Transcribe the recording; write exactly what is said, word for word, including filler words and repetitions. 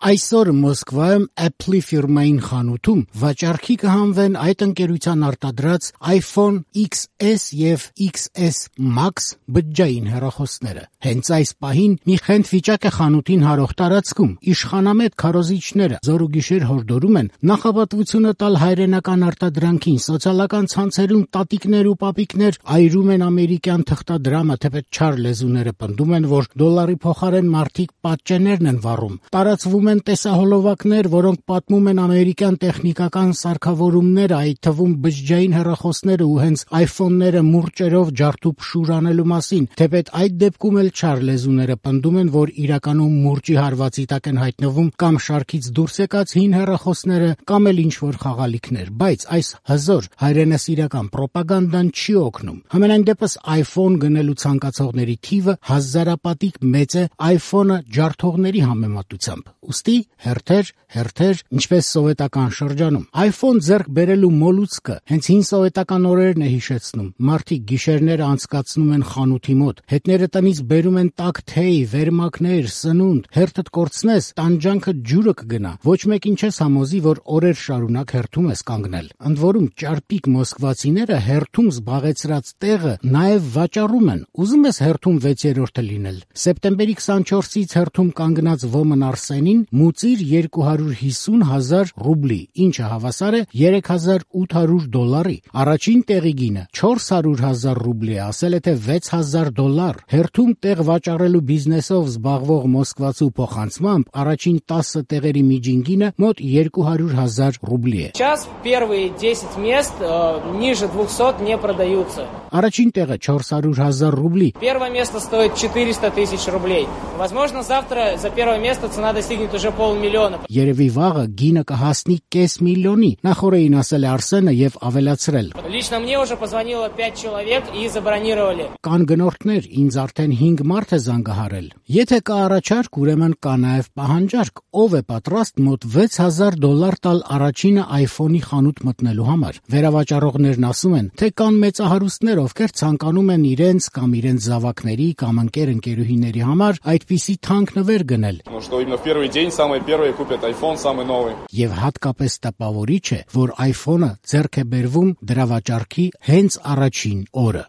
Այսօր Մոսկվայում Apple-ի ֆիրմային խանութում վաճառքի կհանվեն այդ ընկերության արտադրած iPhone X S եւ X S Max բջջային հեռախոսները։ Հենց այս պահին մի խենթ վիճակ է խանութին հարող տարածքում։ Իշխանամետ քարոզիչները զոր ու գիշեր հորդորում են նախապատվությունը տալ հայրենական արտադրանքին, սոցիալական ցանցերում տատիկներ ու պապիկներ այրում են ամերիկյան թղթադրամը, թեպետ չար լեզուները պնդում են, որ դոլարի փոխարեն մարդիկ պատճեններն են վառում։ Տարածվում են տեսահոլովակներ, որոնք պատմում են ամերիկյան տեխնիկական սարքավորումները, այդ թվում բջջային հեռախոսները ու հենց iPhone-ները մուրճերով ջարդուփշուր անելու մասին, թեպետ այդ դեպքում էլ չար լեզուները պնդում են, որ իրականում մուրճի հարվածի տակ են հայտնվում կամ շարքից դուրս եկած հին հեռախոսները կամ էլ ինչ-որ խաղալիքներ, բայց այս հզոր հայրենասիրական պրոպագանդան չի օգնում։ Համենայն դեպս iPhone գնելու ցանկացողների թիվը հազարապատիկ մեծ է iPhone-ը ջարդողների համեմատությամբ։ Ուստի հերթեր, հերթեր, ինչպես սովետական շրջանում։ iPhone ձեռք բերելու մոլուցքը հենց հին սովետական օրերն է հիշեցնում։ Մարդիկ գիշերները անցկացնում են խանութի մոտ, հետները տնից բերում են տաք թեյ, վերմակներ, սնունդ, հերթդ կորցնես, տանջանքը ջուրը կգնա։ Ոչ մեկին չես համոզի, որ օրեր շարունակ հերթում ես կանգնել։ Ընդ որում ճարպիկ մոսկվացիները հերթում զբաղեցրած տեղը նաև վաճառում են։ Ուզում ես հերթում վեցերորդը լինել։ Սեպտեմբերի քսանչորսից հերթում կանգնած Ոմն Արսենին մուծիր երկու հարյուր հիսուն հազար ռուբլի, ինչը հավասար է երեք հազար ութ հարյուր դոլարի։ Առաջին տեղի գինը չորս հարյուր հազար ռուբլի է, ասել է թե վեց հազար դոլար։ Հերթում տեղ վաճառելու բիզնեսով զբաղվող մոսկվացու փոխանցմամբ առաջին տասը տեղերի միջին գինը մոտ երկու հարյուր հազար ռուբլի է։ Сейчас первые десять мест ниже двухсот не продаются. Առաջին տեղը չորս հարյուր հազար ռուբլի։ Первое место стоит четыреста тысяч рублей. Возможно, завтра за первое место цена достигнет уже полмиллиона. Երևի վաղը գինը կհասնի կես միլիոնի, նախորդին ասել է Արսենը եւ ավելացրել։ Лично мне уже позвонило пять человек и забронировали. Կան գնորդներ, ինձ արդեն հինգ մարդ է զանգահարել։ Եթե կա առաջարկ, ուրեմն կա նաեւ պահանջարկ, ով է պատրաստ մոտ վեց հազար դոլար տալ առաջինը iPhone-ի խանութ մտնելու համար։ Վերավաճառողներն ասում են, թե կան մեծահարուստներ, ովքեր ցանկանում են իրենց կամ իրենց զավակների կամ ընկեր-ընկերուհիների համար այդպիսի թանկ նվեր գնել։ Ну что именно в первый день самые первые купят iPhone самый новый. Եվ հատկապես տպավորիչ է, որ iPhone-ը ձեռք է բերվում դրա վաճառքի հենց առաջին օրը։